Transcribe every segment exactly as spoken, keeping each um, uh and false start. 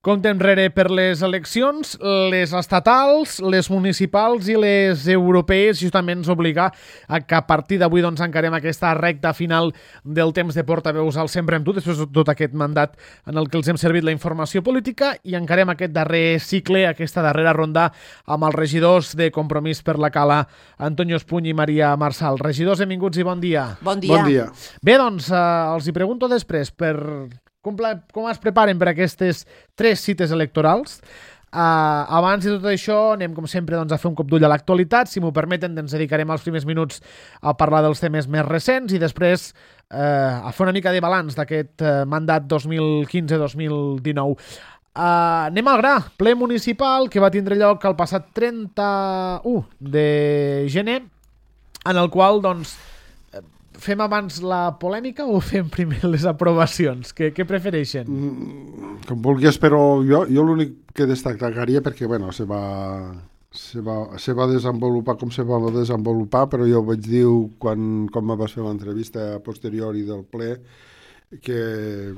Compte enrere per les eleccions, les estatals, les municipals i les europees, justament ens obliga a que a partir d'avui doncs, encarem aquesta recta final del temps de portaveus al Sempre amb tu, després de tot aquest mandat en el que els hem servit la informació política, i encarem aquest darrer cicle, aquesta darrera ronda amb els regidors de Compromís per la Cala, Antonio Espuny i Maria Marçal. Regidors, benvinguts i bon dia. Bon dia. Bon dia. Bé, doncs, eh, els hi pregunto després per com, com es preparen per aquestes tres cites electorals. Uh, abans de tot això anem com sempre doncs, a fer un cop d'ull a l'actualitat. Si m'ho permeten, ens dedicarem els primers minuts a parlar dels temes més recents i després uh, a fer una mica de balanç d'aquest uh, mandat dos mil quinze dos mil dinou. Uh, anem al gra, ple municipal que va tindre lloc el passat trenta-u de gener, en el qual doncs fem abans la polèmica o fem primer les aprovacions? Què, què prefereixen? Mm, com vulguis, però jo, jo l'únic que destacaria, perquè bueno, se va, se, va, se va desenvolupar com se va desenvolupar, però jo vaig dir quan, quan me vas fer l'entrevista a posteriori del ple que,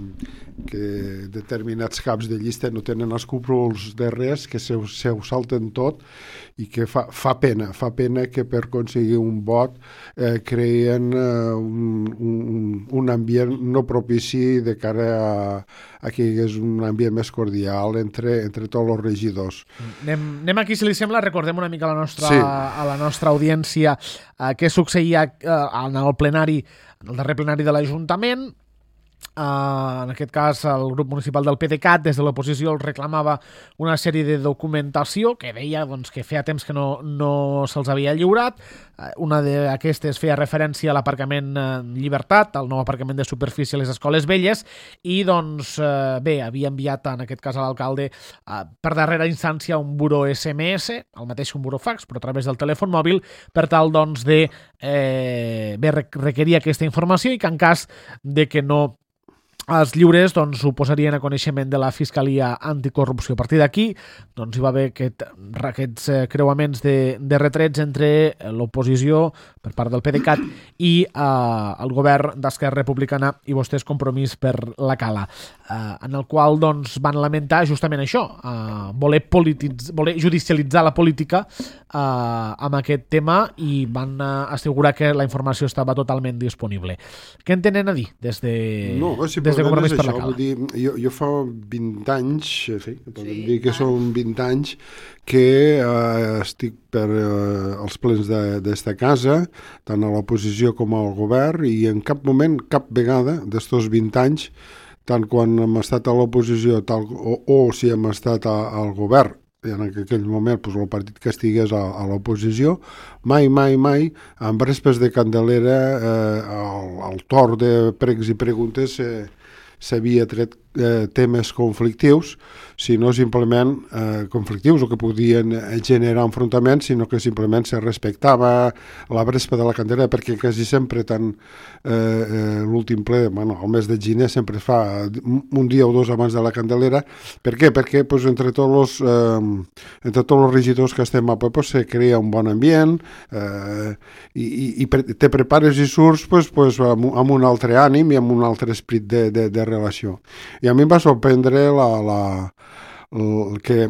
que determinats caps de llista no tenen escrúpols de res, que se, se ho salten tot i que fa, fa pena, fa pena que per aconseguir un vot eh, creen eh, un, un, un ambient no propici de cara a, a que hi hagués un ambient més cordial entre, entre tots els regidors. Anem, anem aquí, si li sembla, recordem una mica a la nostra, sí. a la nostra audiència eh, què succeïa eh, en el plenari, en el darrer plenari de l'Ajuntament. Uh, en aquest cas el grup municipal del PDeCAT des de l'oposició els reclamava una sèrie de documentació que deia doncs, que feia temps que no, no se'ls havia lliurat. Uh, una d'aquestes feia referència a l'aparcament uh, Llibertat, al nou aparcament de superfície a les escoles velles, i doncs uh, bé, havia enviat en aquest cas a l'alcalde uh, per darrera instància un buró S M S, el mateix que un buró fax, però a través del telèfon mòbil, per tal doncs de eh, bé, requerir aquesta informació i que en cas de que no els lliures doncs, ho posarien a coneixement de la Fiscalia Anticorrupció. A partir d'aquí doncs, hi va haver aquest, aquests eh, creuaments de, de retrets entre l'oposició per part del PDeCAT i eh, el govern d'Esquerra Republicana i vostès Compromís per la Cala, eh, en el qual doncs, van lamentar justament això, eh, voler, polititz, voler judicialitzar la política eh, amb aquest tema, i van eh, assegurar que la informació estava totalment disponible. Què en tenen a dir des de... No, sí, des de Compromís per la això, Cala? Vull dir, jo, jo fa vint anys, sí, podem sí, dir que tant. són vint anys que eh, estic per eh, els plens d'esta casa, tant a l'oposició com al govern, i en cap moment, cap vegada d'estos vint anys, tant quan hem estat a l'oposició tal, o, o si hem estat a, al govern, i en aquell moment pues, el partit que estigués a, a l'oposició, mai, mai, mai, amb respes de Candelera, eh, al, al torn de pregs i preguntes eh, s'havia tret eh, temes conflictius, sinó simplement eh, conflictius o que podien generar enfrontaments, sinó que simplement se respectava la vespa de la Candelera, perquè quasi sempre, tant eh, eh, l'últim ple, bueno, el mes de gener sempre es fa un dia o dos abans de la Candelera. Per què? Perquè pues, entre tots els eh, entre tots els regidors que estem a ple pues, se crea un bon ambient eh, i, i, i te prepares i surts pues, pues, amb, amb un altre ànim i amb un altre esperit de, de, de relació. I a mi em va sorprendre la, la, el que,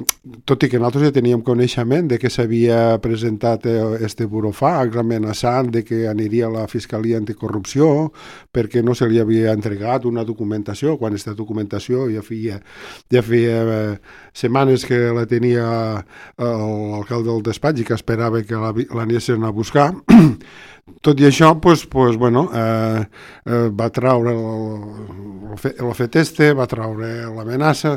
tot i que nosaltres ja teníem coneixement de que s'havia presentat este burofax amenaçant de que aniria a la Fiscalia Anticorrupció perquè no se li havia entregat una documentació, quan aquesta documentació ja feia, ja feia eh, setmanes que la tenia l'alcalde del despatx i que esperava que l'anessin a buscar. Tot i això, pues, pues, bueno, eh, eh, va traure el, el fet este, va traure l'amenaça,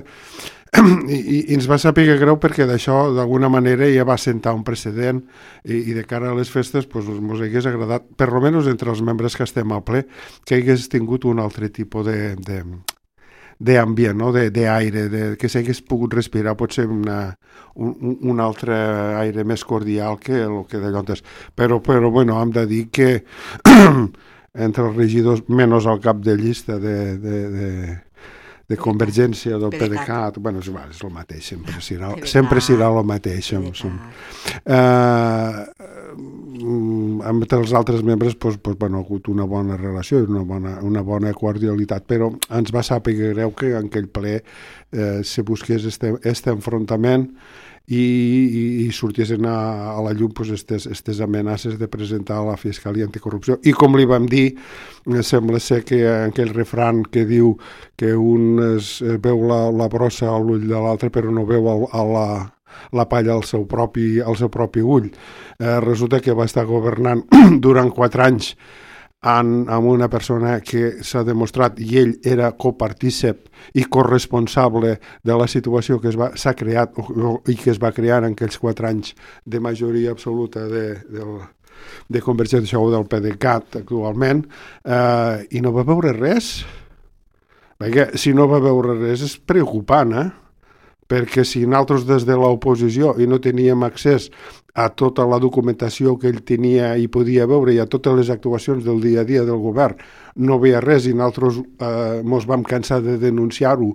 I, i, i ens va saber greu perquè d'això d'alguna manera ja va sentar un precedent i, i de cara a les festes pues, ens hagués agradat, per almenys entre els membres que estem al ple, que hagués tingut un altre tipus de, de, d'ambient, no? d'aire, de, que s'hagués pogut respirar potser una, un, un altre aire més cordial que el que d'allò antes. Però, però bueno, hem de dir que entre els regidors, menys al cap de llista de, de, de, de Convergència, del PDeCAT, bueno, és, és el mateix, sempre serà, sempre serà el mateix. Uh, amb els altres membres pues, pues, bueno, ha hagut una bona relació, una bona, una bona cordialitat, però ens va saber greu que en aquell ple eh, se busqués este, este enfrontament i, i, i sortissin a, a la llum pues, estes, estes amenaces de presentar a la Fiscalia Anticorrupció. I com li vam dir, eh, sembla ser que aquell refran que diu que un es, veu la, la brossa a l'ull de l'altre però no veu el, a la la palla al seu propi, al seu propi ull. Eh, resulta que va estar governant durant quatre anys en, amb una persona que s'ha demostrat, i ell era copartícip i corresponsable de la situació que s'ha creat o, i que es va crear en aquells quatre anys de majoria absoluta de, de, de Convergència o del PDeCAT actualment, eh, i no va veure res. Perquè si no va veure res és preocupant, eh? Perquè si nosaltres des de l'oposició i no teníem accés a tota la documentació que ell tenia i podia veure i a totes les actuacions del dia a dia del govern, no veia res i nosaltres eh, mos vam cansar de denunciar-ho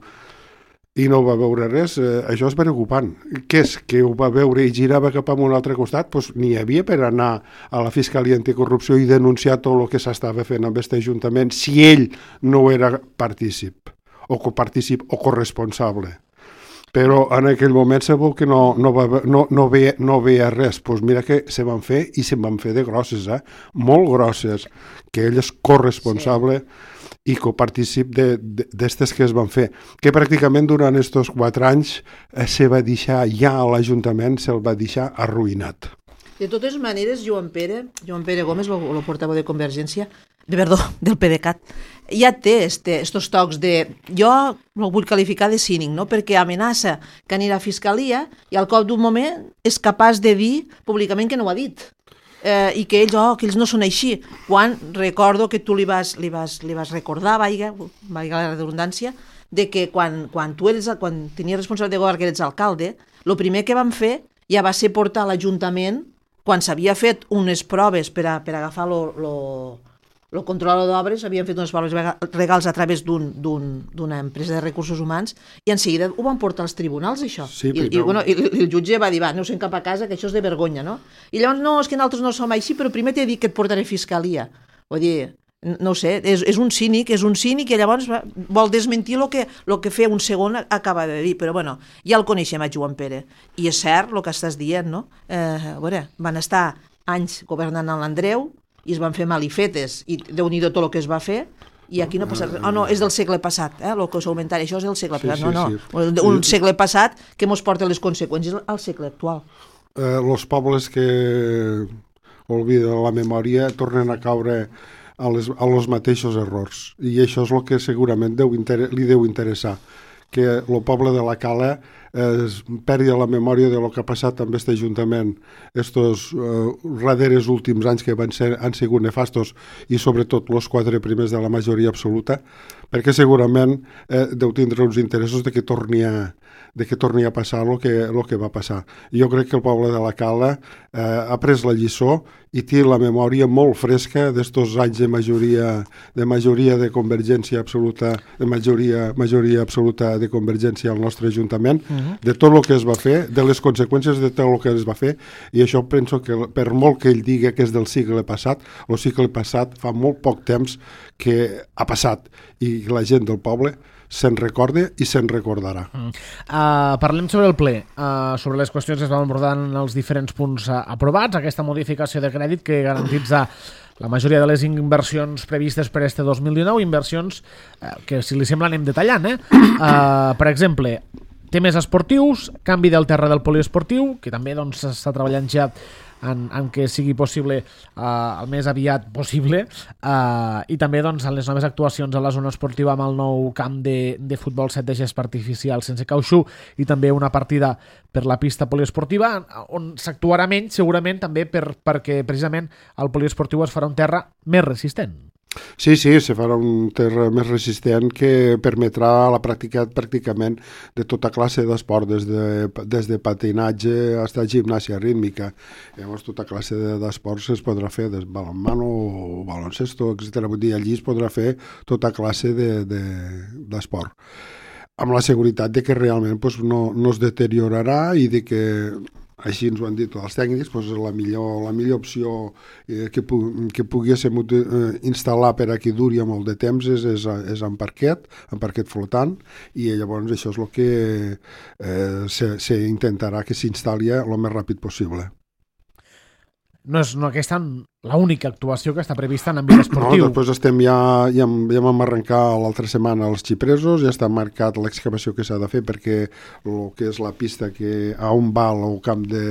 i no va veure res, eh, això és preocupant. Què és? Que ho va veure i girava cap a un altre costat? Pues n'hi havia per anar a la Fiscalia Anticorrupció i denunciar tot el que s'estava fent amb aquest Ajuntament si ell no era partícip o copartícip o corresponsable. Però en aquell moment se veu que no, no, va, no, no, veia, no veia res. Doncs pues mira que se van fer, i se van fer de grosses, eh? Molt grosses, que ell és corresponsable sí. i copartícip d'estes que es van fer. Que pràcticament durant aquests quatre anys eh, se va deixar, ja a l'Ajuntament se'l va deixar arruïnat. De totes maneres, Joan Pere, Joan Pere Gómez, el portaveu de Convergència, de, perdó, del PDeCAT, ja té este, estos tocs de... Jo no vull qualificar de cínic, no? Perquè amenaça que anirà a Fiscalia i al cop d'un moment és capaç de dir públicament que no ho ha dit. Eh, i que ells, oh, que ells no són així. Quan recordo que tu li vas, li vas, li vas recordar, vaiga, vaiga la redundància, de que quan, quan tu eres, quan tenies responsabilitat de govern, que eres alcalde, el primer que van fer ja va ser portar a l'Ajuntament, quan s'havia fet unes proves per a, per a agafar lo, lo, el controlador d'obres, havien fet unes proves legals a través d'una un, empresa de recursos humans i en seguida ho van portar als tribunals, això. Sí, I, i, bueno, i, i el jutge va dir, va, aneu-se'n cap a casa, que això és de vergonya, no? I llavors, no, és que nosaltres no som així, però primer t'he dit que et portaré a Fiscalia. Vull dir, no ho sé, és, és un cínic, és un cínic i llavors vol desmentir el que, lo que fer un segon acaba de dir, però bueno, ja el coneixem a Joan Pere. I és cert el que estàs dient, no? Eh, a veure, van estar anys governant a l'Andreu i es van fer malifetes i déu-n'hi-do tot el que es va fer i aquí no passa res. Oh, no, és del segle passat, eh, el que us augmentaré, això és del segle passat. Sí, sí, no, no, sí. Un segle passat que mos porta les conseqüències al segle actual. Eh, els pobles que obliden la memòria tornen a caure a les, a los mateixos errors i això és el que segurament deu inter li deu interessar, que el poble de la Cala es perdi la memòria de lo que ha passat amb aquest Ajuntament estos eh, darreres últims anys que van ser, han sigut nefastos i sobretot els quatre primers de la majoria absoluta, perquè segurament eh, deu tindre uns interessos de que torni a, de que torni a passar el que, el que va passar. Jo crec que el poble de la Cala eh, ha pres la lliçó i té la memòria molt fresca d'estos anys de majoria de majoria de convergència absoluta, de majoria, majoria absoluta de convergència al nostre Ajuntament, uh-huh. de tot el que es va fer, de les conseqüències de tot el que es va fer, i això penso que per molt que ell digui que és del segle passat, el segle passat fa molt poc temps que ha passat i la gent del poble se'n recorda i se'n recordarà. Mm. Uh, parlem sobre el ple, uh, sobre les qüestions que es van abordar en els diferents punts uh, aprovats, aquesta modificació de crèdit que garantitza la majoria de les inversions previstes per este dos mil dinou, inversions uh, que, si li sembla, anem detallant. Eh? Uh, per exemple, temes esportius, canvi del terra del poliesportiu, que també doncs, s'està treballant ja en, en què sigui possible uh, el més aviat possible, uh, i també doncs, en les noves actuacions a la zona esportiva amb el nou camp de, de futbol set de gespa artificial sense cautxú i també una partida per la pista poliesportiva on s'actuarà menys segurament també per, perquè precisament el poliesportiu es farà un terra més resistent. Sí, sí, se farà un terra més resistent que permetrà la pràctica pràcticament de tota classe d'esport, des de, des de patinatge fins a gimnàsia rítmica. Llavors, tota classe d'esports es podrà fer, des de balonmano o baloncesto, etcètera. Vull dir, allí es podrà fer tota classe d'esport. De, de, amb la seguretat de que realment pues, no, no es deteriorarà i de que així ens ho han dit els tècnics, doncs la millor, la millor opció eh, que, pu que poguéssim eh, instal·lar per a que duri molt de temps és, és, és en parquet, en parquet flotant, i llavors això és el que eh, s'intentarà que s'instal·li el més ràpid possible. No és no, aquesta l'única actuació que està prevista en àmbit esportiu. No, després estem ja, ja, ja vam arrencar l'altra setmana els xipresos, ja està marcat l'excavació que s'ha de fer perquè el que és la pista que a on va el camp de,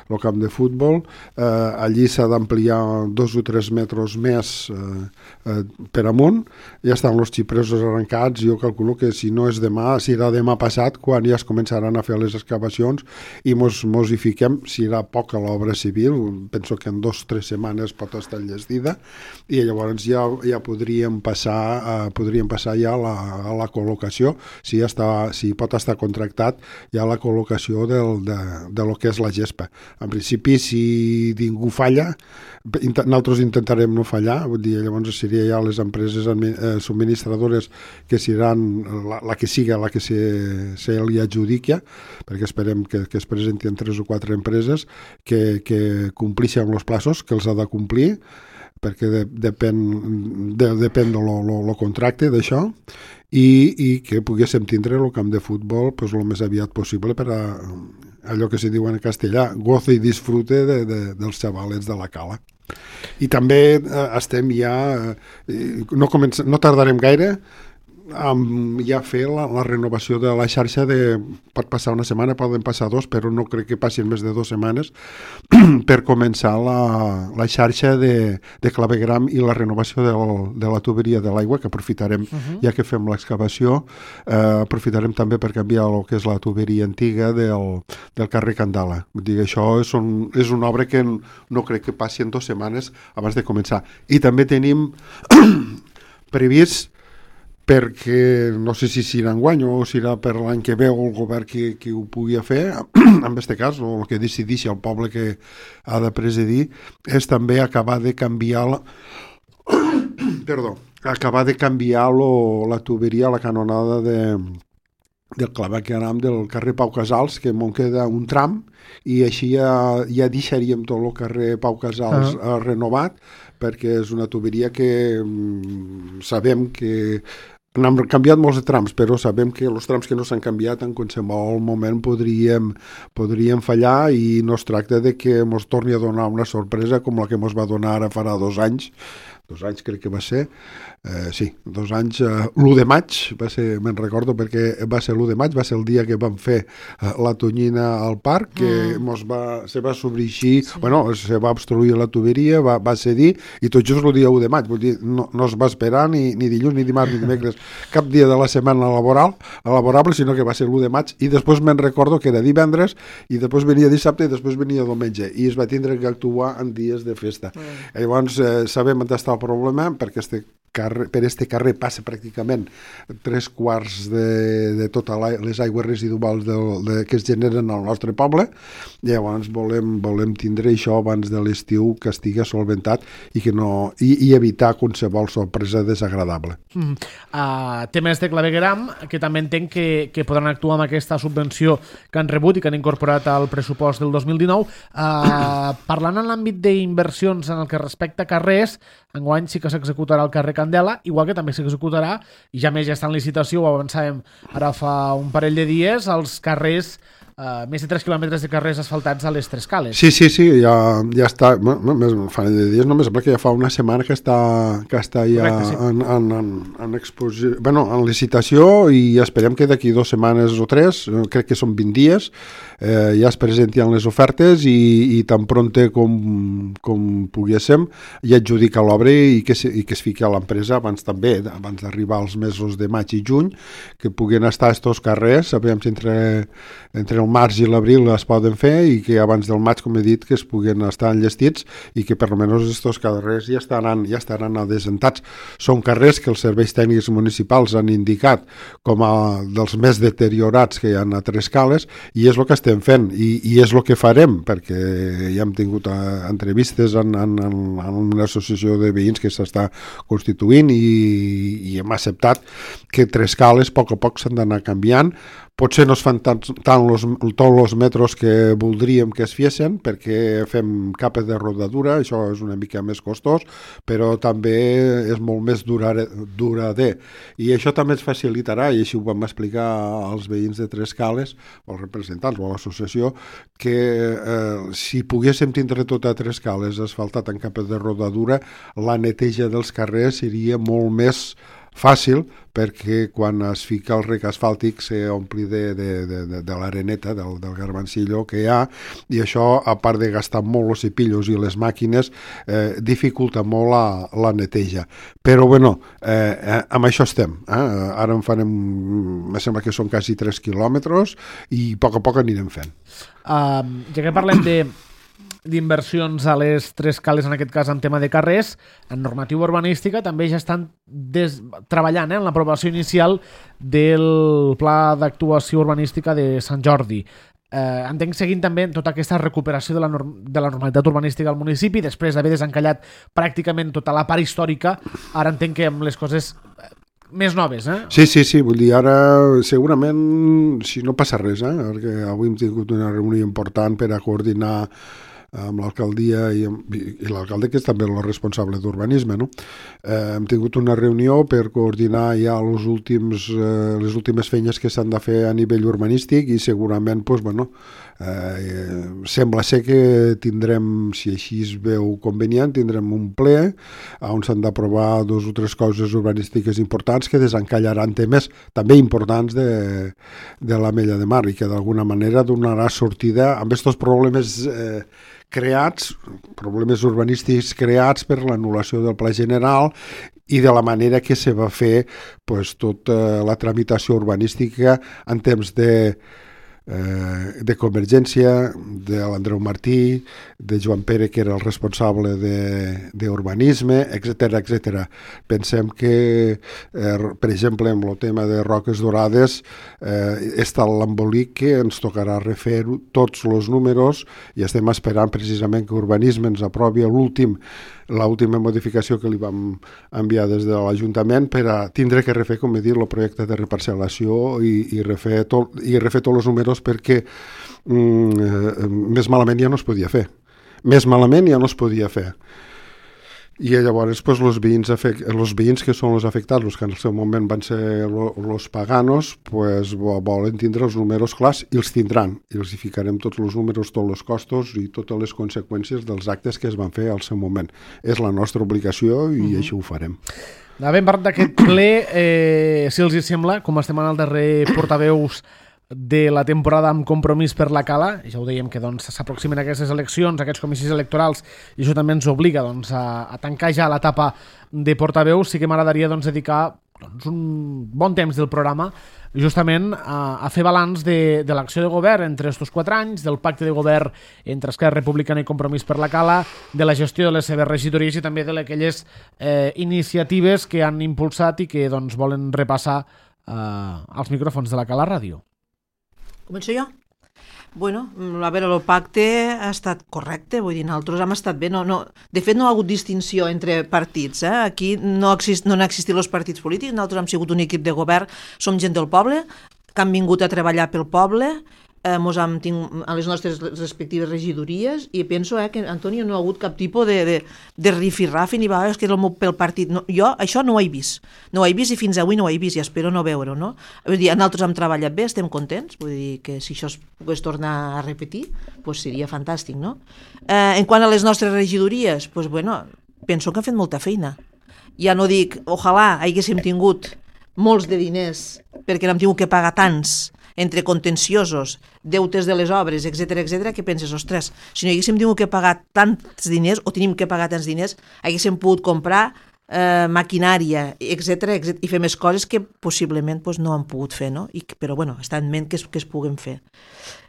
el camp de futbol, eh, allí s'ha d'ampliar dos o tres metres més eh, eh, per amunt, ja estan els xipresos arrencats, jo calculo que si no és demà, serà demà passat quan ja es començaran a fer les excavacions i mos, mos hi fiquem, serà poca l'obra civil, penso que en dos o tres setmanes pot estar enllestida i llavors ja, ja podríem passar eh, podríem passar ja a la, a la col·locació, si, ja està, si pot estar contractat ja la col·locació del, de, de lo que és la gespa. En principi, si ningú falla, nosaltres intentarem no fallar, vull dir, llavors seria ja les empreses eh, subministradores que seran la, la que siga la que se, se li adjudica, perquè esperem que, que es presentin tres o quatre empreses que, que complixen els plaços que els ha de complir, perquè de, depèn, de, depèn de lo, lo, lo contracte d'això, i, i que poguéssim tindre el camp de futbol pues, el més aviat possible per a allò que se diu en castellà, gozo i disfrute de, de, dels xavalets de la cala. I també eh, estem ja, eh, no, comença, no tardarem gaire, Um, ja fer la, la renovació de la xarxa de, pot passar una setmana, poden passar dos, però no crec que passin més de dues setmanes per començar la, la xarxa de, de clavegram i la renovació de, de la tuberia de l'aigua, que aprofitarem, uh-huh. ja que fem l'excavació, eh, aprofitarem també per canviar el que és la tuberia antiga del, del carrer Candala. Vull dir, això és, un, és una obra que no crec que passi en dues setmanes abans de començar. I també tenim previst, perquè no sé si serà enguany o serà per l'any que ve o el govern que, que ho pugui fer, en aquest cas, o el que decideixi el poble que ha de presidir, és també acabar de canviar la... Perdó, acabar de canviar lo, la tuberia, la canonada de, del clavegueram del carrer Pau Casals, que m'on queda un tram, i així ja, ja deixaríem tot el carrer Pau Casals uh-huh. renovat, perquè és una tuberia que mm, sabem que han canviat molts de trams, però sabem que els trams que no s'han canviat en qualsevol moment podríem, podríem fallar i no es tracta de que ens torni a donar una sorpresa com la que ens va donar ara farà dos anys, dos anys crec que va ser, eh, sí, dos anys, eh, l'u de maig, va ser, me'n recordo perquè va ser l'u de maig, va ser el dia que vam fer eh, la tonyina al parc, que mm. mos va, se va sobreixir, sí. bueno, se va obstruir la tuberia, va, va cedir, i tot just el dia u de maig, vull dir, no, no es va esperar ni, ni dilluns, ni dimarts, ni dimecres, cap dia de la setmana laboral, laborable, sinó que va ser l'u de maig, i després me'n recordo que era divendres, i després venia dissabte, i després venia diumenge, i es va tindre que actuar en dies de festa. Mm. Llavors, eh, sabem on està el problema, perquè este carrer, per este carrer passa pràcticament tres quarts de, de totes les aigües residuals de, de, que es generen al nostre poble. Llavors volem, volem tindre això abans de l'estiu que estigui solventat i, que no, i, i evitar qualsevol sorpresa desagradable. Mm. Uh, temes de clavegueram, que també entenc que, que podran actuar amb aquesta subvenció que han rebut i que han incorporat al pressupost del dos mil dinou. Uh, parlant en l'àmbit d'inversions en el que respecta a carrers, enguany sí que s'executarà el carrer Candela, igual que també s'executarà, i ja més ja està en licitació, ho avançàvem ara fa un parell de dies, els carrers, uh, més de tres quilòmetres de carrers asfaltats a les Tres Cales. Sí, sí, sí, ja, ja està, bueno, més, fa de dies, no, sembla que ja fa una setmana que està, que està ja Correcte, sí. en, en, en, en, exposi... bueno, en licitació, i esperem que d'aquí dues setmanes o tres, crec que són vint dies, eh, ja es presenten les ofertes i, i tan pronte com, com poguéssim ja adjudica l'obra i, que se, i que es fiqui a l'empresa abans també, abans d'arribar als mesos de maig i juny, que puguen estar estos carrers, sabem si entre, entre el març i l'abril es poden fer i que abans del maig, com he dit, que es puguen estar enllestits i que per almenys estos carrers ja estaran, ja estaran adesentats. Són carrers que els serveis tècnics municipals han indicat com a dels més deteriorats que hi ha a Tres Cales, i és el que estem fent i, i és el que farem, perquè ja hem tingut uh, entrevistes en, en, en una associació de veïns que s'està constituint i, i hem acceptat que Tres Cales a poc a poc s'han d'anar canviant potser no es fan tant, tant los, tots els metros que voldríem que es fiessin, perquè fem capes de rodadura, això és una mica més costós, però també és molt més durar, durader. I això també ens facilitarà, i així ho vam explicar als veïns de Tres Cales, o als representants, o a l'associació, que eh, si poguéssim tindre tota Tres Cales asfaltat en capes de rodadura, la neteja dels carrers seria molt més fàcil, perquè quan es fica el rec asfàltic s'ompli de, de, de, de, de l'areneta, del, del garbancillo que hi ha, i això, a part de gastar molt els cepillos i les màquines, eh, dificulta molt la, la neteja. Però, bueno, eh, eh, amb això estem. Eh? Ara en farem, em sembla que són quasi tres quilòmetres, i a poc a poc anirem fent. Uh, ja que parlem de d'inversions a les Tres Cales, en aquest cas en tema de carrers, en normativa urbanística també ja estan des... treballant eh, en l'aprovació inicial del pla d'actuació urbanística de Sant Jordi. Eh, entenc seguint també tota aquesta recuperació de la, norm... de la normalitat urbanística al municipi, després d'haver desencallat pràcticament tota la part històrica, ara entenc que amb les coses més noves, eh? Sí, sí, sí, vull dir, ara segurament, si no passa res, eh? Perquè avui hem tingut una reunió important per a coordinar amb l'alcaldia i, i l'alcalde, que és també el responsable d'urbanisme, no? Eh, hem tingut una reunió per coordinar ja els últims, eh, les últimes feines que s'han de fer a nivell urbanístic, i segurament, pues, bueno, eh, sembla ser que tindrem, si així es veu convenient, tindrem un ple on s'han d'aprovar dos o tres coses urbanístiques importants que desencallaran temes també importants de, de l'Ametlla de Mar, i que d'alguna manera donarà sortida amb aquests problemes eh, creats, problemes urbanístics creats per l'anul·lació del Pla General i de la manera que se va fer, pues, tota la tramitació urbanística en temps de eh, de Convergència, de l'Andreu Martí, de Joan Pere, que era el responsable d'urbanisme, etcètera, etcètera. Pensem que, eh, per exemple, amb el tema de Roques Dorades, eh, està l'embolic que ens tocarà refer tots els números, i estem esperant precisament que Urbanisme ens aprovi l'últim l'última modificació que li vam enviar des de l'Ajuntament per a tindre que refer, com he dit, el projecte de reparcel·lació i, i, refer, tot, i refer tots els números, perquè mm, més malament ja no es podia fer. Més malament ja no es podia fer. I llavors pues, els, veïns afect... els veïns que són els afectats, els que en el seu moment van ser els paganos, pues, volen tindre els números clars, i els tindran. I els hi ficarem tots els números, tots els costos i totes les conseqüències dels actes que es van fer al seu moment. És la nostra obligació i mm-hmm. així ho farem. Havent parlat d'aquest ple, eh, si els hi sembla, com estem en el darrer portaveus de la temporada amb Compromís per la Cala, i ja ho dèiem que doncs, s'aproximen aquestes eleccions, aquests comicis electorals, i això també ens obliga doncs, a, a tancar ja l'etapa de portaveus. Sí que m'agradaria doncs, dedicar doncs, un bon temps del programa justament a, a fer balanç de, de l'acció de govern entre aquests quatre anys, del pacte de govern entre Esquerra Republicana i Compromís per la Cala, de la gestió de les seves regidories i també de aquelles eh, iniciatives que han impulsat i que doncs, volen repassar eh, als micròfons de la Cala Ràdio. Començo jo? Bueno, a veure, el pacte ha estat correcte, vull dir, nosaltres hem estat bé. No, no, de fet, no ha hagut distinció entre partits. Eh? Aquí no, exist, no han existit els partits polítics, nosaltres hem sigut un equip de govern, som gent del poble, que han vingut a treballar pel poble, eh, mos hem tingut a les nostres respectives regidories, i penso eh, que, Antonio, no ha hagut cap tipus de, de, de rifirrafi ni vegades que és el meu, pel partit. No, jo això no ho he vist. No ho he vist i fins avui no ho he vist i espero no veure-ho, no? Vull dir, nosaltres hem treballat bé, estem contents, vull dir que si això es pogués tornar a repetir, pues seria fantàstic, no? Eh, en quant a les nostres regidories, pues bueno, penso que han fet molta feina. Ja no dic, ojalà haguéssim tingut molts de diners perquè n'hem tingut que pagar tants entre contenciosos, deutes de les obres, etcètera, etcètera, que penses, ostres, si no haguéssim tingut que pagar tants diners, o tenim que pagar tants diners, haguéssim pogut comprar eh, maquinària, etcètera, etcètera, i fer més coses que possiblement pues, no han pogut fer, no? I, però, bueno, està en ment que es, que es puguen fer.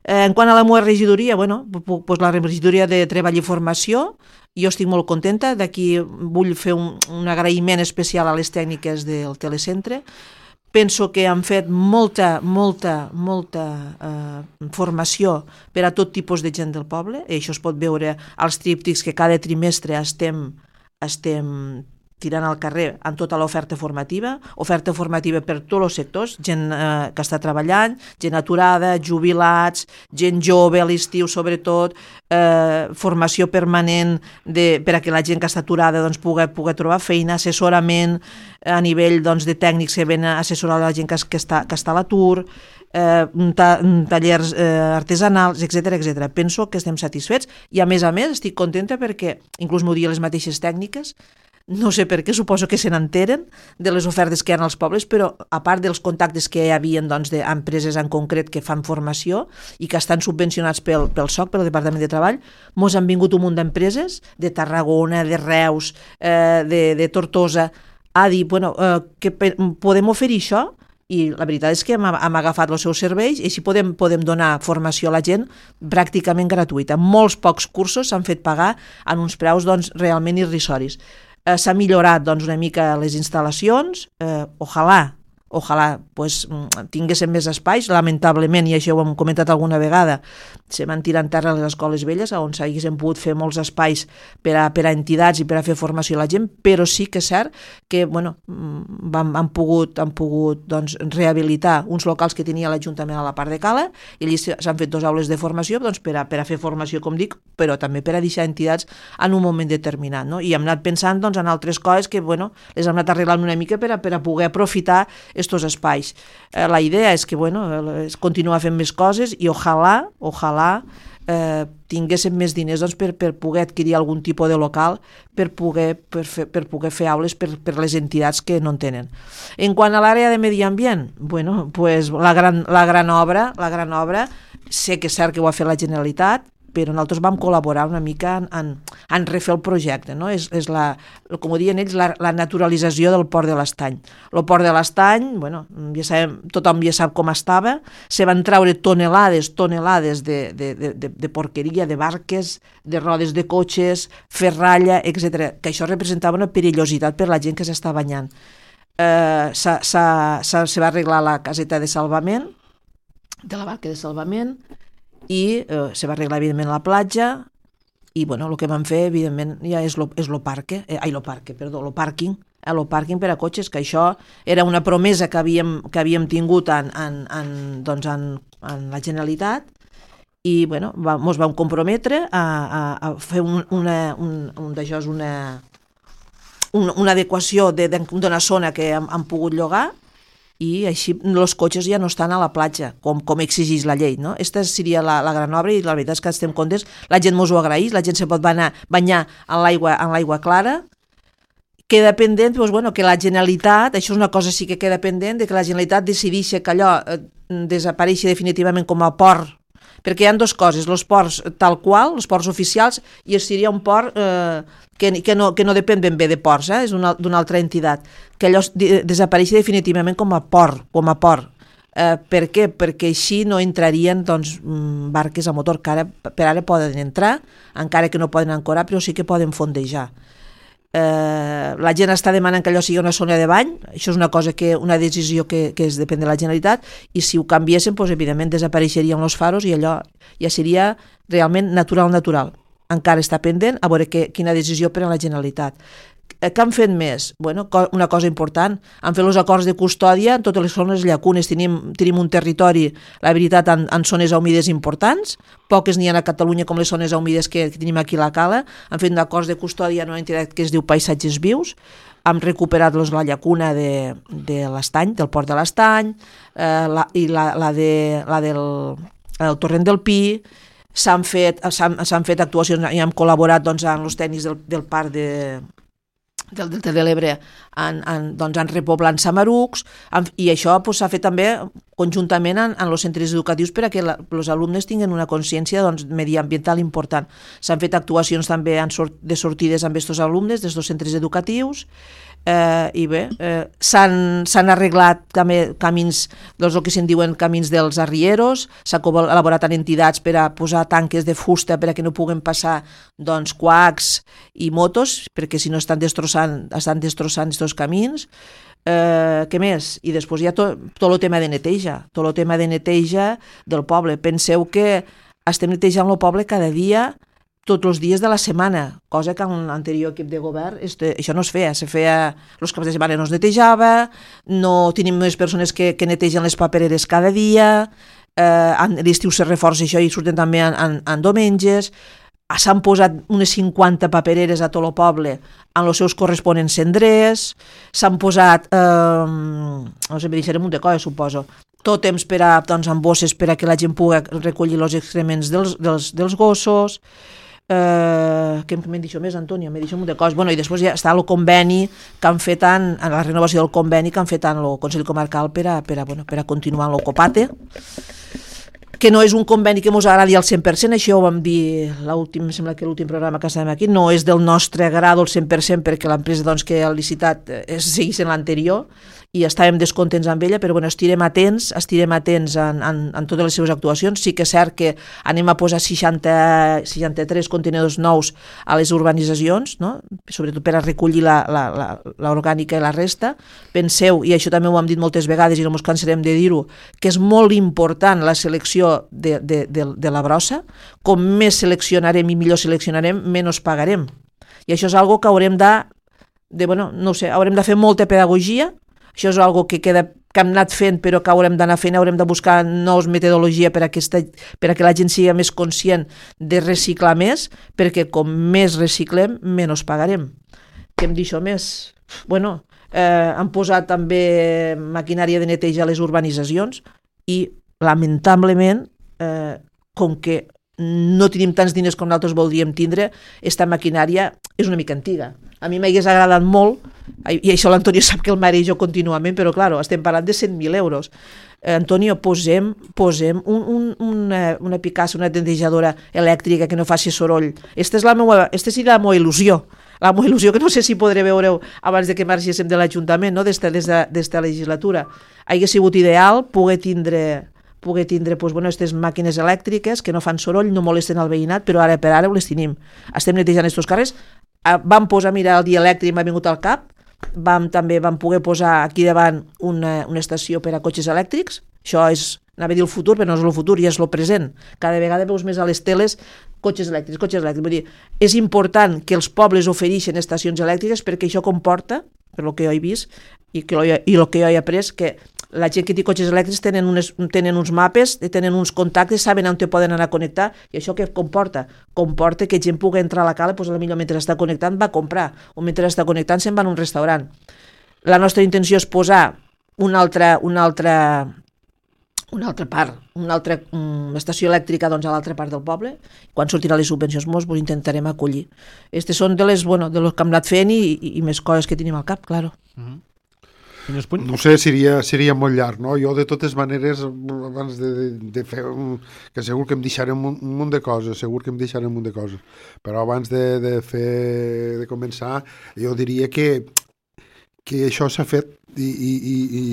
Eh, en quant a la meva regidoria, bueno, pues, la regidoria de Treball i Formació, jo estic molt contenta, d'aquí vull fer un, un agraïment especial a les tècniques del telecentre. Penso que han fet molta, molta, molta eh, formació per a tot tipus de gent del poble, i això es pot veure als tríptics que cada trimestre estem, estem tirant al carrer amb tota l'oferta formativa, oferta formativa per tots els sectors, gent eh, que està treballant, gent aturada, jubilats, gent jove a l'estiu sobretot, eh, formació permanent de, per a que la gent que està aturada doncs, pugui, pugui trobar feina, assessorament a nivell doncs, de tècnics que ven a assessorar la gent que, que, està, que està a l'atur, eh, ta, tallers eh, artesanals, etcètera etcètera. Penso que estem satisfets i a més a més estic contenta perquè inclús m'ho diuen les mateixes tècniques. No sé per què, suposo que se n'enteren de les ofertes que hi ha als pobles, però a part dels contactes que hi havia doncs, d'empreses en concret que fan formació i que estan subvencionats pel, pel S O C, pel Departament de Treball, mos han vingut un munt d'empreses de Tarragona, de Reus, eh, de, de Tortosa, a dir, bueno, eh, que podem oferir això? I la veritat és que hem, hem agafat els seus serveis i així podem, podem donar formació a la gent pràcticament gratuïta. Molts pocs cursos s'han fet pagar en uns preus doncs, realment irrisoris. Eh, s'ha millorat doncs, una mica les instal·lacions, eh, ojalà, ojalà pues, tinguéssim més espais, lamentablement, i això ho hem comentat alguna vegada, se van tirar en terra les escoles velles, on s'haguessin pogut fer molts espais per a, per a entitats i per a fer formació a la gent, però sí que és cert que bueno, vam, han pogut, han pogut doncs, rehabilitar uns locals que tenia l'Ajuntament a la part de Cala, i allí s'han fet dues aules de formació doncs, per, a, per a fer formació, com dic, però també per a deixar entitats en un moment determinat. No? I hem anat pensant doncs, en altres coses que bueno, les hem anat arreglant una mica per a, per a poder aprofitar estos espais. Eh, la idea és que bueno, és continuar fent més coses i ojalà, ojalà eh, tinguéssim més diners doncs, per, per poder adquirir algun tipus de local per poder, per fer, per poder fer aules per, per les entitats que no en tenen. En quant a l'àrea de medi ambient, bueno, pues la, gran, la gran obra, la gran obra, sé que és cert que ho ha fet la Generalitat, però nosaltres vam col·laborar una mica en, en, en refer el projecte, no? És, és la, com ho diuen ells, la, la naturalització del Port de l'Estany. El Port de l'Estany, bueno, ja sabem, tothom ja sap com estava, se van treure tonelades, tonelades de, de, de, de, de porqueria, de barques, de rodes de cotxes, ferralla, etcètera, que això representava una perillositat per la gent que s'està banyant. Eh, s'ha, s'ha, s'ha, se va arreglar la caseta de salvament, de la barca de salvament, i eh, se va arreglar evidentment la platja i bueno, el que vam fer evidentment ja és lo, és lo parque, eh, ai, lo parque, perdó, lo pàrquing, eh, lo pàrquing per a cotxes, que això era una promesa que havíem, que havíem tingut en, en, en, doncs en, en la Generalitat i bueno, va, mos vam comprometre a, a, a fer un, una, un, un d'això, una, un, una adequació d'una zona que hem, hem pogut llogar i així els cotxes ja no estan a la platja, com, com exigeix la llei. No? Esta seria la, la gran obra i la veritat és que estem contents. La gent mos ho agraeix, la gent se pot anar, banyar en l'aigua en l'aigua clara. Queda pendent doncs, bueno, que la Generalitat, això és una cosa sí que queda pendent, de que la Generalitat decideixi que allò eh, desapareixi definitivament com a port, perquè hi ha dues coses, els ports tal qual, els ports oficials, i seria un port eh, que, que, no, que no depèn ben bé de ports, eh, és d'una altra entitat, que allò desapareixi definitivament com a port, com a port. Eh, per què? Perquè així no entrarien doncs, barques a motor que ara, per ara poden entrar, encara que no poden ancorar, però sí que poden fondejar. Eh, la gent està demanant que allò sigui una zona de bany, això és una cosa que, una decisió que, que es depèn de la Generalitat, i si ho canviessin, doncs, evidentment desapareixerien els faros i allò ja seria realment natural natural. Encara està pendent a veure que, quina decisió pren la Generalitat. Eh, què han fet més? Bueno, una cosa important, han fet els acords de custòdia en totes les zones llacunes, tenim, tenim un territori, la veritat, en, en zones humides importants, poques n'hi ha a Catalunya com les zones humides que, que tenim aquí a la Cala, han fet acords de custòdia en una entitat que es diu Paisatges Vius, han recuperat los, la llacuna de, de l'Estany, del Port de l'Estany, eh, la, i la, la, de, la del el Torrent del Pi, s'han fet, s'han fet actuacions i hem col·laborat doncs, amb els tècnics del, del parc de del Delta de l'Ebre han, han, doncs, han repoblant samarucs han, i això s'ha pues, fet també conjuntament en, en els centres educatius per a que els alumnes tinguin una consciència doncs, mediambiental important. S'han fet actuacions també en sort, de sortides amb aquests alumnes des dels centres educatius eh, i bé, eh, s'han arreglat també camins, doncs, el que se'n diuen camins dels arrieros, s'ha elaborat en entitats per a posar tanques de fusta per a que no puguen passar doncs, quacs i motos, perquè si no estan destrossant, estan destrossant aquests camins. Eh, què més? I després hi ha tot, tot el tema de neteja, tot el tema de neteja del poble. Penseu que estem netejant el poble cada dia, tots els dies de la setmana, cosa que en l'anterior equip de govern este, això no es feia, se feia els caps de setmana no es netejava, no tenim més persones que, que netegen les papereres cada dia, eh, a l'estiu se reforça això i surten també en, en, en diumenges, s'han posat unes cinquanta papereres a tot el poble en els seus corresponents cendrers, s'han posat, eh, no sé, me deixaré un de coses, suposo, tot temps per a, doncs, amb bosses per a que la gent pugui recollir els excrements dels, dels, dels gossos. Eh, què m'he dit més, Antonio? M'he dit un de coses. Bueno, i després ja està el conveni que han fet en, en la renovació del conveni que han fet en el Consell Comarcal per a, per a, bueno, per a continuar en l'Ocopate, que no és un conveni que ens agradi al cent per cent, això ho vam dir l'últim, sembla que l'últim programa que estàvem aquí, no és del nostre grado al cent per cent perquè l'empresa doncs, que ha licitat eh, seguís en l'anterior i estàvem descontents amb ella, però bueno, estirem atents, estirem atents en, en, en totes les seves actuacions. Sí que és cert que anem a posar seixanta, seixanta-tres contenidors nous a les urbanitzacions, no? Sobretot per a recollir l'orgànica i la resta. Penseu, i això també ho hem dit moltes vegades i no ens cansarem de dir-ho, que és molt important la selecció de, de, de, de la brossa. Com més seleccionarem i millor seleccionarem, menys pagarem. I això és algo que haurem de, de bueno, no sé, haurem de fer molta pedagogia. Això és una que, queda, que hem anat fent però que haurem d'anar fent, haurem de buscar nous metodologia per a, aquesta, per a que la gent sigui més conscient de reciclar més, perquè com més reciclem, menys pagarem. Què em deixo més? Bueno, eh, han posat també maquinària de neteja a les urbanitzacions i, lamentablement, eh, com que no tenim tants diners com nosaltres voldríem tindre, aquesta maquinària és una mica antiga. A mi m'hagués agradat molt, i això l'Antonio sap que el marejo contínuament, però clar, estem parlant de cent mil euros. Eh, Antonio, posem, posem un, un, una, una picassa, una netejadora elèctrica que no faci soroll. Esta és la meua, esta seria la meva il·lusió. La meva il·lusió que no sé si podré veure abans de que marxéssim de l'Ajuntament, no? des d'esta legislatura. Hauria sigut ideal poder tindre poder tindre doncs, bueno, aquestes màquines elèctriques que no fan soroll, no molesten al veïnat, però ara per ara ho les tenim. Estem netejant aquests carrers. Vam posar, mira, el dia elèctric m'ha vingut al cap, vam, també vam poder posar aquí davant una, una estació per a cotxes elèctrics. Això és, anava a dir el futur, però no és el futur, ja és el present. Cada vegada veus més a les teles cotxes elèctrics, cotxes elèctrics. Vull dir, és important que els pobles ofereixen estacions elèctriques perquè això comporta, per lo que jo he vist i, que, i el que jo he après, que la gent que té cotxes elèctrics tenen, unes, tenen uns mapes, tenen uns contactes, saben on te poden anar a connectar, i això què comporta? Comporta que gent pugui entrar a la cala, doncs potser mentre està connectant va a comprar, o mentre està connectant se'n va a un restaurant. La nostra intenció és posar una altra, una altra, una altra part, una altra um, estació elèctrica doncs, a l'altra part del poble. Quan sortirà les subvencions molts, ho intentarem acollir. Aquestes són de les, bueno, de les que hem anat fent i, i, i més coses que tenim al cap, claro. Mm-hmm. No sé, seria, seria molt llarg, no? Jo, de totes maneres, abans de, de, de fer... Un, que segur que em deixarem un, un munt de coses, segur que em deixarem un munt de coses. Però abans de, de fer... de començar, jo diria que, que això s'ha fet i... i, i, i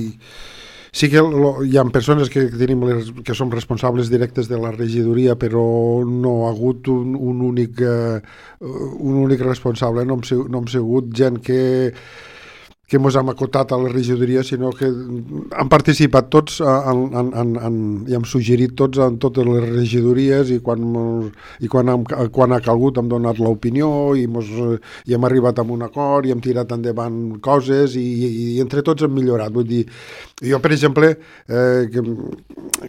sí que lo, hi ha persones que, tenim les, que som responsables directes de la regidoria, però no ha hagut un, un, únic, uh, un únic responsable, no hem, no hem sigut gent que... que ens hem acotat a la regidoria, sinó que han participat tots en, en, en, en, i hem suggerit tots en totes les regidories i quan, i quan, hem, quan ha calgut hem donat l'opinió i, mos, i hem arribat a un acord i hem tirat endavant coses i, i, i entre tots hem millorat. Vull dir, jo, per exemple, eh, que,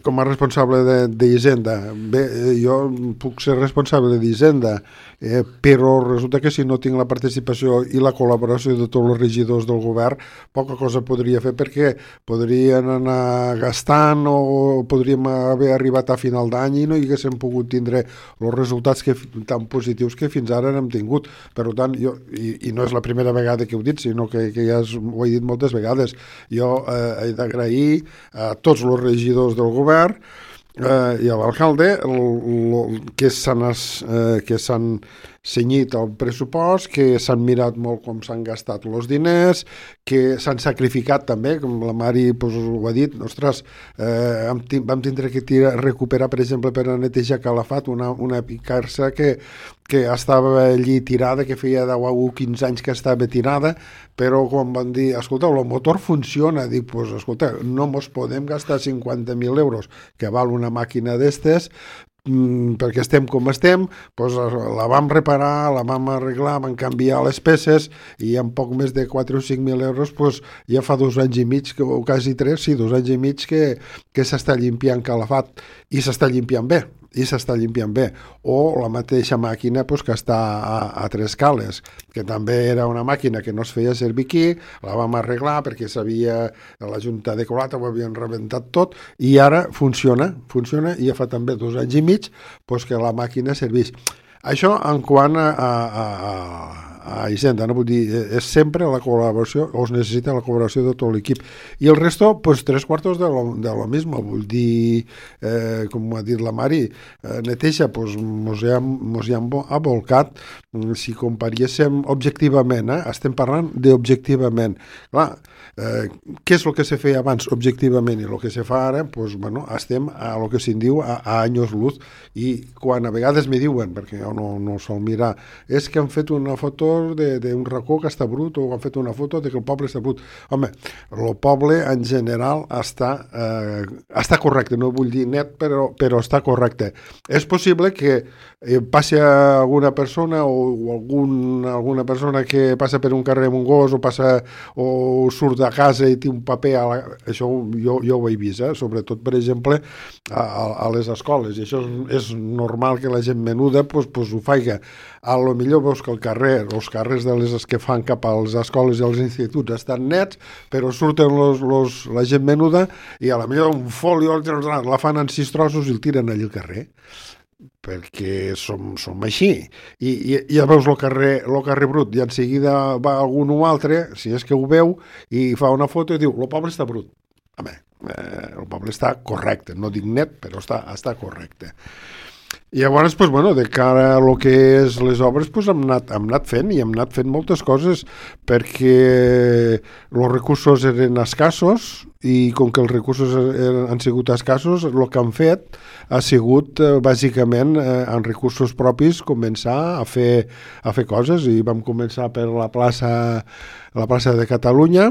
com a responsable d'Hisenda, bé, jo puc ser responsable d'Hisenda, eh, però resulta que si no tinc la participació i la col·laboració de tots els regidors del govern, poca cosa podria fer perquè podrien anar gastant o podríem haver arribat a final d'any i no hi haguéssim pogut tindre els resultats que, tan positius que fins ara n'hem tingut. Per tant, jo, i, i no és la primera vegada que ho he dit, sinó que, que ja ho he dit moltes vegades, jo eh, he d'agrair a tots els regidors del govern eh, i a l'alcalde que s'han eh, que s'han cenyit el pressupost, que s'han mirat molt com s'han gastat els diners, que s'han sacrificat també, com la Mari pues, ho ha dit, ostres, eh, vam tindre que tirar, recuperar, per exemple, per a netejar Calafat, una, una picarça que, que estava allí tirada, que feia deu o quinze anys que estava tirada, però quan van dir, escolta, el motor funciona, dic, pues, escolta, no mos podem gastar cinquanta mil euros, que val una màquina d'estes, perquè estem com estem, doncs la vam reparar, la vam arreglar, vam canviar les peces i en poc més de quatre o cinc mil euros doncs ja fa dos anys i mig, o quasi tres, sí, dos anys i mig que, que s'està limpiant calafat i s'està limpiant bé. i s'està limpiant bé, o la mateixa màquina pues, que està a, a Tres Cales, que també era una màquina que no es feia servir aquí, la vam arreglar perquè s'havia, la Junta de Colata ho havien rebentat tot, i ara funciona, funciona, i ja fa també dos anys i mig pues, que la màquina serveix. Això en quant a, a, a, a Hisenda, no? Vull dir, és sempre la col·laboració, o es necessita la col·laboració de tot l'equip. I el resto, pues, tres quartos de lo, de lo mismo. Vull dir, eh, com ha dit la Mari, eh, neteja, pues, mos hi hem, mos hi hem abolcat. Si comparíssim objectivament, eh, estem parlant d'objectivament. Clar, eh, què és el que se feia abans objectivament i el que se fa ara? Pues, bueno, estem a lo que se'n diu a, a anys luz. I quan a vegades me diuen, perquè jo no, no sol mirar, és que han fet una foto d'un racó que està brut, o han fet una foto de que el poble està brut. Home, el poble en general està, eh, està correcte, no vull dir net, però, però està correcte. És possible que eh, passi alguna persona o, o algun, alguna persona que passa per un carrer amb un gos o, passa, o surt de casa i té un paper, a la, això jo, jo ho he vist, eh? Sobretot, per exemple, a, a les escoles, i això és, és normal que la gent menuda pues, pues, ho faiga. A lo millor veus que el carrer, els carrers de les que fan cap a les escoles i als instituts estan nets, però surten los, los, la gent menuda i a lo millor un folio la fan en sis trossos i el tiren allà al carrer, perquè som, som així. I, i ja veus el carrer, el carrer brut, i en seguida va algun o altre, si és que ho veu, i fa una foto i diu, el poble està brut. Home, eh, el poble està correcte, no dic net, però està, està correcte. I llavors, pues, bueno, de cara a lo que és les obres, pues, hem, anat, hem anat fent i hem anat fent moltes coses perquè els recursos eren escassos i com que els recursos eren, han sigut escassos, el que han fet ha sigut eh, bàsicament eh, en recursos propis començar a fer, a fer coses, i vam començar per la plaça la plaça de Catalunya,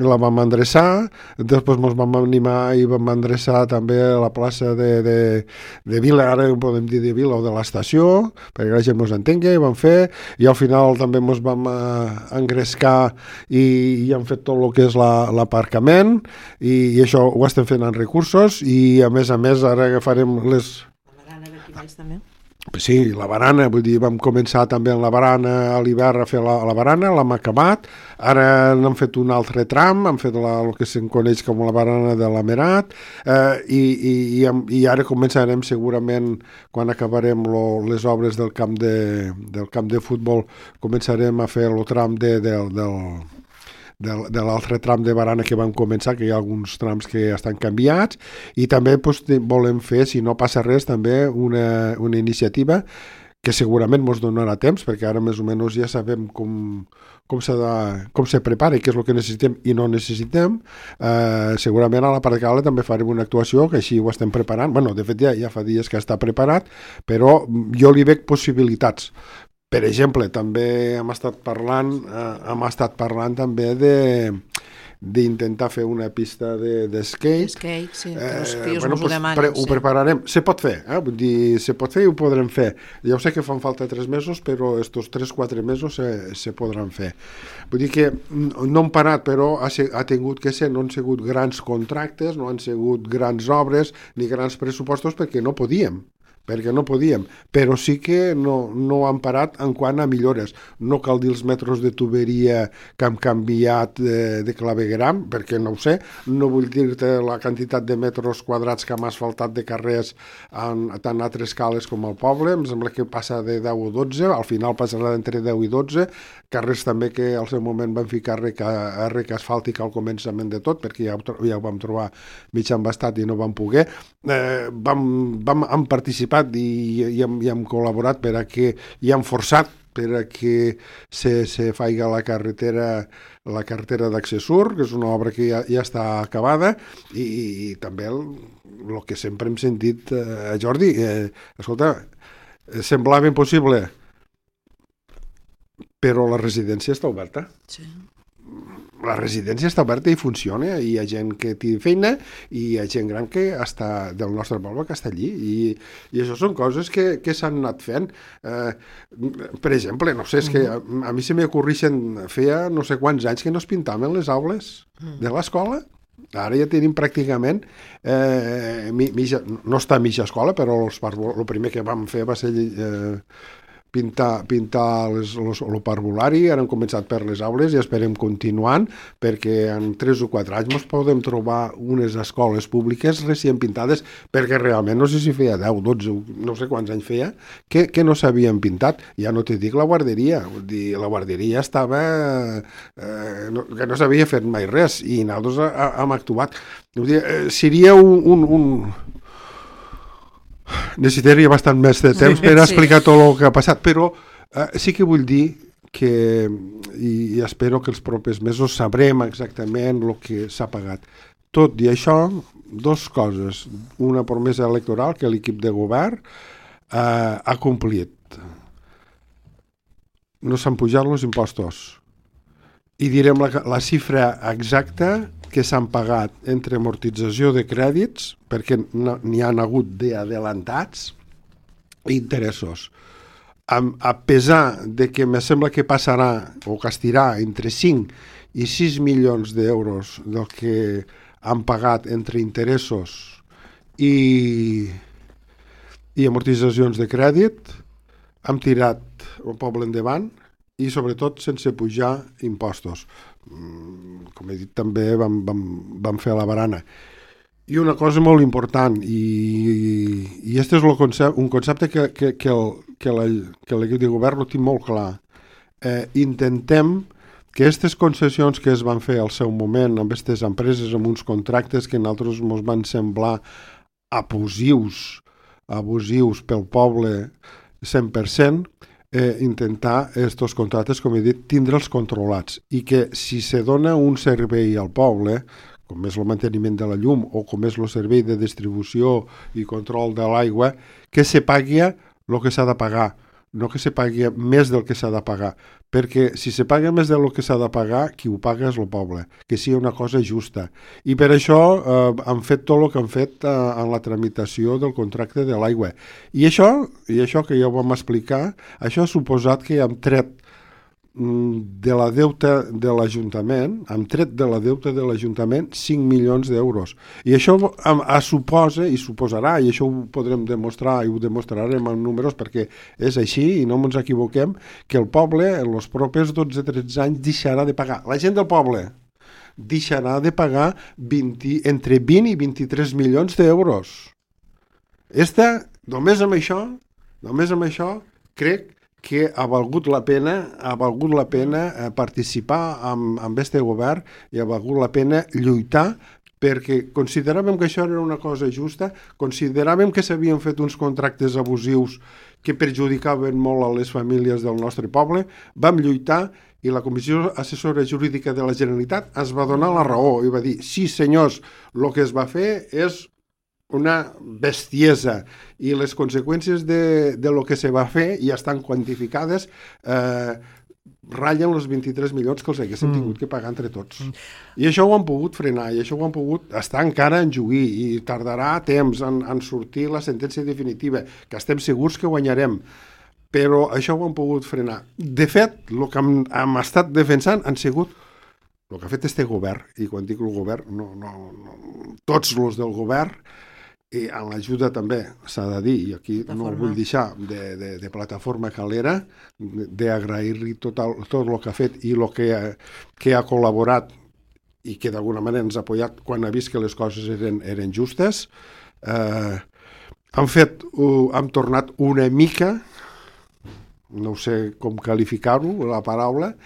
la vam endreçar, després ens vam animar i vam endreçar també la plaça de, de, de Vila, ara podem dir de Vila o de l'estació, perquè la gent ens entengui, i vam fer, i al final també ens vam eh, engrescar i, i hem fet tot el que és l'aparcament, i, i això ho estem fent en recursos, i a més a més ara farem les... La barana d'aquí baix també. Sí, la barana, vull dir, vam començar també en la barana a l'hivern a fer la, la barana, l'hem acabat, ara n'hem fet un altre tram, hem fet la, el que se'n coneix com la barana de l'Amerat, eh, i, i, i, i ara començarem segurament, quan acabarem lo, les obres del camp de, del camp de futbol, començarem a fer el tram de, de, del... de, de l'altre tram de barana que vam començar, que hi ha alguns trams que estan canviats, i també pues, volem fer, si no passa res, també una, una iniciativa que segurament ens donarà temps, perquè ara més o menys ja sabem com, com, de, com se prepara i què és el que necessitem i no necessitem. Eh, segurament a la Parcala també farem una actuació, que així ho estem preparant. Bueno, de fet ja, ja fa dies que està preparat, però jo li veig possibilitats. Per exemple, també hem estat parlant, eh, hem estat parlant també de d'intentar fer una pista de, de skate. Skate, sí, que els eh, fills bueno, mos ho pues, demanen. pre, sí. Ho prepararem. Se pot fer, eh? Vull dir, se pot fer i ho podrem fer. Ja ho sé que fan falta tres mesos, però estos tres quatre mesos se, se podran fer. Vull dir que no han parat, però ha, ha tingut que ser, no han sigut grans contractes, no han sigut grans obres ni grans pressupostos perquè no podíem. perquè no podíem, però sí que no, no han parat en quant a millores. No cal dir els metres de tuberia que han canviat de, de clavegueram, perquè no ho sé, no vull dir-te la quantitat de metres quadrats que hem asfaltat de carrers en, tant a Tres Cales com al poble, em sembla que passa de deu o dotze, al final passarà entre deu i dotze, carrers també que al seu moment van ficar rec, rec asfàltic al començament de tot, perquè ja, ja ho vam trobar mig embastat i no vam poder. Eh, vam, vam, hem participat i, i, hem, i hem col·laborat per a que, i hem forçat per a que se, se faiga la carretera la carretera d'Accessur, que és una obra que ja, ja està acabada, i, i, i també el, el que sempre hem sentit a eh, Jordi, eh, escolta, semblava impossible, però la residència està oberta. Sí. la residència està oberta i funciona, i hi ha gent que té feina i hi ha gent gran que està del nostre poble que està allí, i, i això són coses que, que s'han anat fent. Eh, per exemple, no sé, és que a, a mi se m'ocorreixen, feia no sé quants anys que no es pintaven les aules de l'escola. Ara ja tenim pràcticament eh, mitja, no està a mitja escola, però els, el primer que vam fer va ser eh, pintar, pintar les, los, el parvulari. Ara hem començat per les aules i esperem continuant, perquè en tres o quatre anys ens podem trobar unes escoles públiques recient pintades, perquè realment no sé si feia deu, dotze, no sé quants anys feia, que, que no s'havien pintat. Ja no te dic la guarderia, vull dir, la guarderia estava eh, no, que no s'havia fet mai res, i nosaltres hem actuat. Vull dir, eh, seria un... un, un necessitaria bastant més de temps per explicar tot el que ha passat, però eh, sí que vull dir que, i, i espero que els propers mesos sabrem exactament el que s'ha pagat. Tot i això, dos coses. Una promesa electoral que l'equip de govern eh, ha complit. No s'han pujat els impostos. I direm la, la xifra exacta que s'han pagat entre amortització de crèdits, perquè n'hi han hagut d'adelantats, i interessos. A, a pesar de que me sembla que passarà o que estirà entre cinc i sis milions d'euros del que han pagat entre interessos i, i amortitzacions de crèdit, hem tirat el poble endavant, i sobretot sense pujar impostos. Com he dit, també vam, vam, vam fer la barana. I una cosa molt important, i, i este és concepte, un concepte que, que, que, el, que, la, que l'equip de govern ho tinc molt clar. Eh, intentem que aquestes concessions que es van fer al seu moment amb aquestes empreses, amb uns contractes que a nosaltres ens van semblar abusius, abusius pel poble cent per cent, Eh, intentar aquests contractes, com he dit, tindre'ls controlats, i que si se dona un servei al poble, com és el manteniment de la llum o com és el servei de distribució i control de l'aigua, que se pagui el que s'ha de pagar, no que se pagui més del que s'ha de pagar, perquè si se paga més del que s'ha de pagar, qui ho paga és el poble, que sigui una cosa justa. I per això eh, han fet tot el que han fet eh, en la tramitació del contracte de l'aigua. I això, i això que ja ho vam explicar, això ha suposat que hem tret de la deuta de l'Ajuntament, hem tret de la deuta de l'Ajuntament cinc milions d'euros. I això a suposa, i suposarà, i això ho podrem demostrar, i ho demostrarem amb números, perquè és així, i no ens equivoquem, que el poble en els propers dotze tretze anys deixarà de pagar. La gent del poble deixarà de pagar vint, entre vint i vint-i-tres milions d'euros. Esta, només amb això, només amb això, crec que ha valgut la pena, ha valgut la pena participar amb, amb este govern, i ha valgut la pena lluitar, perquè consideràvem que això era una cosa justa, consideràvem que s'havien fet uns contractes abusius que perjudicaven molt a les famílies del nostre poble, vam lluitar, i la Comissió Assessora Jurídica de la Generalitat ens va donar la raó i va dir, sí senyors, el que es va fer és una bestiesa, i les conseqüències de, de lo que se va fer ja estan quantificades, eh, ratllen els vint-i-tres milions que els haguéssim mm. tingut que pagar entre tots. Mm. I això ho han pogut frenar, i això ho han pogut estar encara en jugar, i tardarà temps en, en sortir la sentència definitiva, que estem segurs que guanyarem, però això ho han pogut frenar. De fet, el que hem, hem estat defensant han sigut el que ha fet este govern, i quan dic el govern, no, no, no, tots els del govern, i en l'ajuda també s'ha de dir, i aquí no ho vull deixar, de, de, de Plataforma Calera, d'agrair-li tot, el, tot el que ha fet i el que, que ha col·laborat i que d'alguna manera ens ha apoyat quan ha vist que les coses eren, eren justes. Eh, han fet, uh, han tornat una mica, no sé com qualificar-ho, la paraula,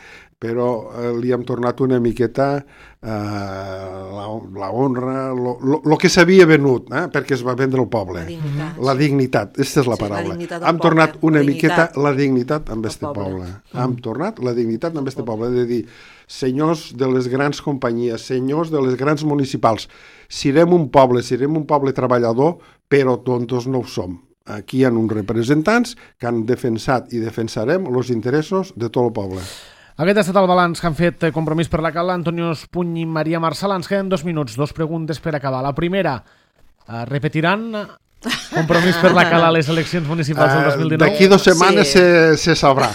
però eh, li hem tornat una miqueta eh, la, la honra, el que s'havia venut, eh, perquè es va vendre el poble. La dignitat. La dignitat, aquesta és la sí, paraula. La hem tornat una la miqueta la dignitat amb este poble. poble. Mm. Hem tornat la dignitat amb este poble, de dir, senyors de les grans companyies, senyors de les grans municipals, serem un poble, serem un poble treballador, però tontos no ho som. Aquí hi ha uns representants que han defensat i defensarem els interessos de tot el poble. Aquest ha estat el balanç que han fet Compromís per la Cala, Antonio Espuny i Maria Marsal. Ens queden dos minuts, dos preguntes per acabar. La primera, eh, repetiran Compromís per la Cala a les eleccions municipals del dos mil dinou? D'aquí dues setmanes sí. se, se sabrà.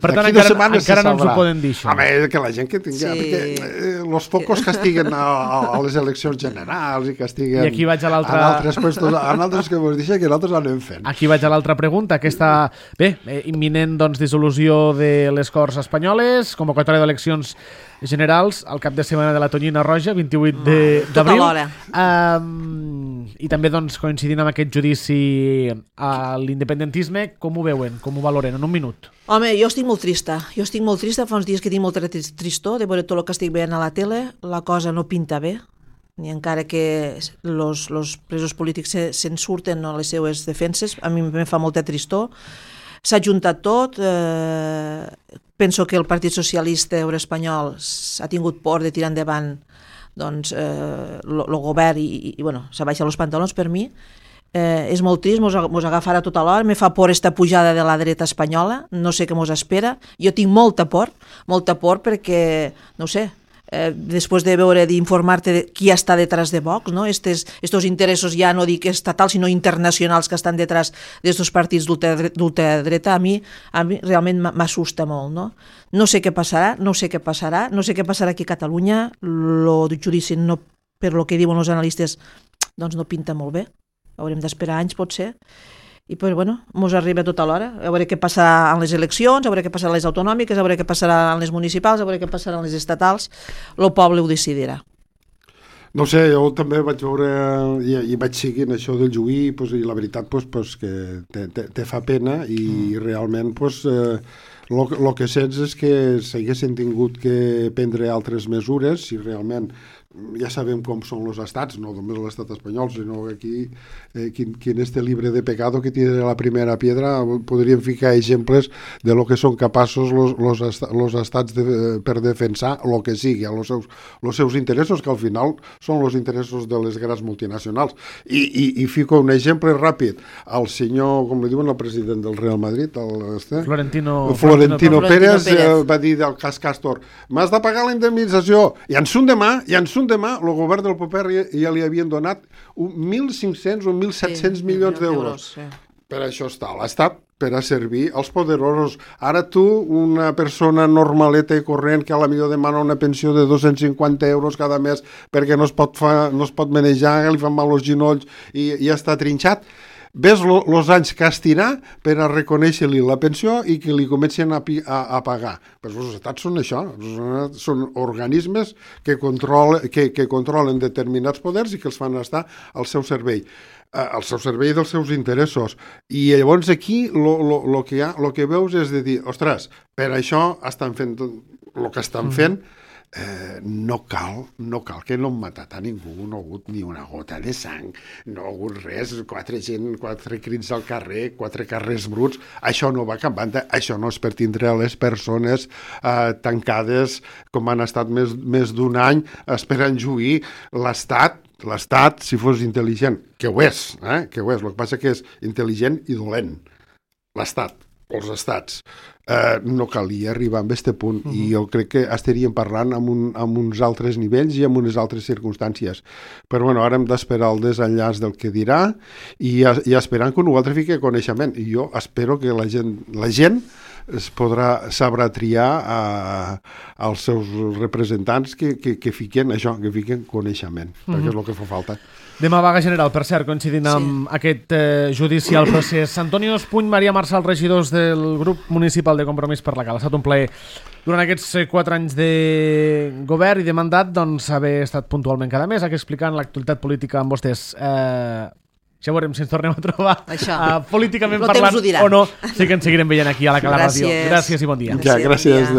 Per tant, encara, encara no ens ho poden dir, això. Home, que la gent que tingui... Sí. Perquè eh, els focos que estiguen a, a les eleccions generals i que estiguen... I aquí vaig a l'altra... En altres puestos, en altres que vos deixen, que nosaltres anem fent. Aquí vaig a l'altra pregunta. Aquesta, bé, eh, imminent doncs, dissolució de les Corts Espanyoles, convocatòria d'eleccions generals al cap de setmana de la Tonyina Roja, vint-i-vuit d'abril. Tota l'hora. Um, I també doncs, coincidint amb aquest judici a l'independentisme, com ho veuen, com ho valoren? En un minut. Home, jo estic molt trista. Jo estic molt trista. Fa uns dies que tinc molta tristor de veure tot el que estic veient a la tele. La cosa no pinta bé, ni encara que los, los presos polítics se'n se surten a les seues defenses. A mi em fa molta tristor. S'ha juntat tot. Eh, penso que el Partit Socialista Obrer Espanyol ha tingut por de tirar endavant doncs, eh, el govern i, i, i bueno, s'ha baixat els pantalons per mi. Eh, és molt trist, mos, mos agafarà tota l'hora, me fa por esta pujada de la dreta espanyola, no sé què mos espera, jo tinc molta por, molta por perquè, no sé, eh, després de veure, d'informar-te de qui està detrás de Vox, no? Estes, estos interessos ja no dic estatals, sinó internacionals que estan detrás d'estos partits d'ultradreta, a mi, a mi realment m'assusta molt, no? No sé què passarà, no sé què passarà, no sé què passarà aquí a Catalunya, el judici, no, per lo que diuen els analistes, doncs no pinta molt bé. Haurem d'esperar anys, potser, i pues, bueno, mos arriba tota l'hora. A veure què passarà en les eleccions, a veure què passarà en les autonòmiques, a veure què passarà en les municipals, a veure què passarà en les estatals. El poble ho decidirà. No sé, jo també vaig veure i, i vaig seguint això del juí pues, i la veritat pues, pues, que te, te, te fa pena i mm. realment pues, eh, el que sents és que s'haguessin tingut que prendre altres mesures si realment ja sabem com són els estats, no només l'estat espanyol, sinó que aquí, eh, quin, quin este libre de pecado que tiene la primera piedra, podríem ficar exemples de lo que són capaços els estats de, per defensar el que sigui, els seus, los seus interessos, que al final són els interessos de les grans multinacionals. I, i, i fico un exemple ràpid. El senyor, com li diuen, el president del Real Madrid, el, este, Florentino, Florentino, Florentino Pérez, Pérez. Eh, va dir del cas Castor, m'has de pagar la indemnització, i en son demà, i en son demà, el govern del Popper ja, ja li havien donat mil cinc-cents o mil set-cents sí, milions d'euros. Sí. Per això està l'Estat, per a servir als poderosos. Ara tu, una persona normaleta i corrent que a la millor demana una pensió de dos-cents cinquanta euros cada mes perquè no es pot, fa, no es pot manejar, li fan mal els genolls i ja està trinxat, ves els anys que estirà per a reconèixer-li la pensió i que li comencen a, a, a pagar. Però els estats són això, són organismes que, control, que, que controlen determinats poders i que els fan estar al seu servei, eh, al seu servei dels seus interessos. I llavors aquí el que, que veus és de dir, ostres, per això estan fent el que estan fent, Eh, no cal, no cal que no han matat a ningú, no ha hagut ni una gota de sang, no ha hagut res, quatre gent, quatre crits al carrer, quatre carrers bruts, això no va cap banda, això no és per tindre les persones eh, tancades com han estat més, més d'un any esperant juir. L'Estat, l'Estat, si fos intel·ligent, que ho és, eh, que ho és, el que passa que és intel·ligent i dolent, l'Estat, els estats, eh, no calia arribar a aquest punt, uh-huh. i jo crec que estaríem parlant amb, un, amb uns altres nivells i amb unes altres circumstàncies. Però bueno, ara hem d'esperar el desenllaç del que dirà i, i esperant que un altre fiqui coneixement. I jo espero que la gent, la gent es podrà, sabrà triar a, als seus representants que, que, que fiquen això, que fiquen coneixement, uh-huh. perquè és el que fa falta. Demà vaga general, per cert, coincidint amb sí. aquest eh, judicial procés. Antonio Espuny, Maria Marsal, regidors del grup municipal de Compromís per la Cala. Ha estat un plaer durant aquests quatre anys de govern i de mandat doncs, haver estat puntualment cada mes aquí explicant l'actualitat política amb vostès. Eh, ja veurem si ens tornem a trobar uh, políticament parlant o no. Sí que ens seguirem veient aquí a la Cala Ràdio. Gràcies i bon dia. Ja, gràcies.